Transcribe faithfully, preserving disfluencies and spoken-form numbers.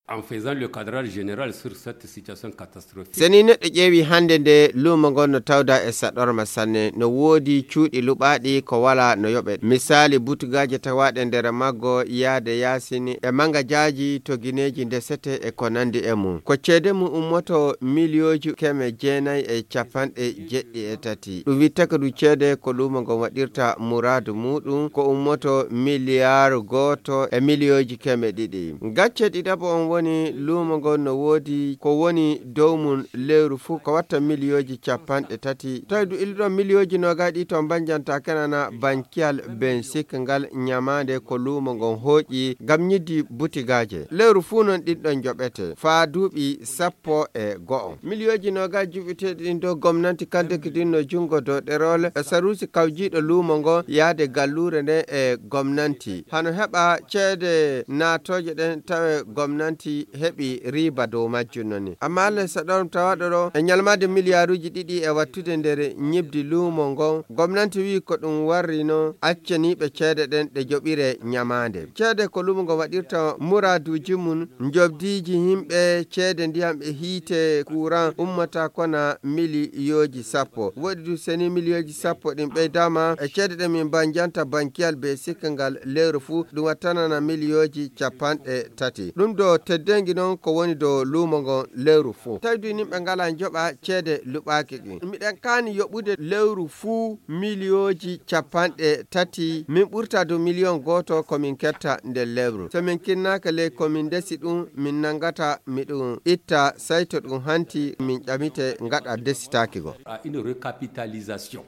En faisant le cadrage général sur cette situation catastrophique. Seni neɗɗo ƴeewi hannde nde luumo ngon no tawda e saɗorma sanne, no woodi cuuɗi luɓaaɗi ko wala no yoɓe. Misaali, butugaaje tawaaɗe nder maggo yaade yaasini e mangajaaji to gineeji ndesete e ko nandi e mum. Ko ceede mum ummoto miliyooji keme jeenayi e capanɗe jeɗɗi e tati. Ɗum wittaka ɗum ceede ko luumo ngon waɗirta muraadu muuɗum ko ummoto miliyaaru gooto e miliyooji keme ɗiɗi. Gacce ɗiɗaɓo on woni luumo ngon no woodi ko woni dow mum lewru fuu ko watta miliyooji capanɗe tati. Tawi du illuɗon miliyooji noogaaji ɗi to mbanjanta kenana bankiyal bensik ngal ñamaande ko luumo ngon hooƴi ngam ñiddi butigaaje. Lewru fuu non ɗin ɗon joɓete faa duuɓi sappo e go'o. Miliyooji noogaaji juɓɓiteeɗi ɗin dow gomnanti kandeki ɗin no junngo dow ɗerol e saruusi kawjiiɗo luumo ngon yaade galluure nden e gomnanti. Hano heɓa ceede naatooje ɗen tawe gomnanti heɓi riiba dow majjum noni. Amma Allah saɗorom tawaɗo ɗo e ñalmaade miliyaaruuji ɗiɗi e wattude nder ñibdi luumo ngon. Gomnanti wi'i ko ɗum warri non accaniiɓe ceede ɗen ɗe joɓire ñamaande. Ceede ko luumo ngon waɗirta muraaduuji mum, njobdiiji yimɓe, ceede ndiyam e hiite, kuran ummata kona miliyooji sappo. Woɗi du seni miliyooji sappo ɗin ɓeydama e ceede ɗe min mbanjanta bankiyal be sikka ngal lewru fuu, ɗum wattanana miliyooji capanɗe tati. Ɗum ɗo teddengi non ko woni dow luumo ngon lewru fuu. Tawi du yimɓe ngala njoɓa ceede luɓaaki ɗin. Miɗen kaani yoɓude lewru fuu miliyooji capanɗe tati, min ɓurta dow miliyon gooto ko min ketta nder lewru. So min kinnaaka ley ko min ndesi ɗum, min nanngata mi ɗum itta, sayto ɗum hanti, min ƴamite ngaɗa ndesitaaki go. À une recapitalisation.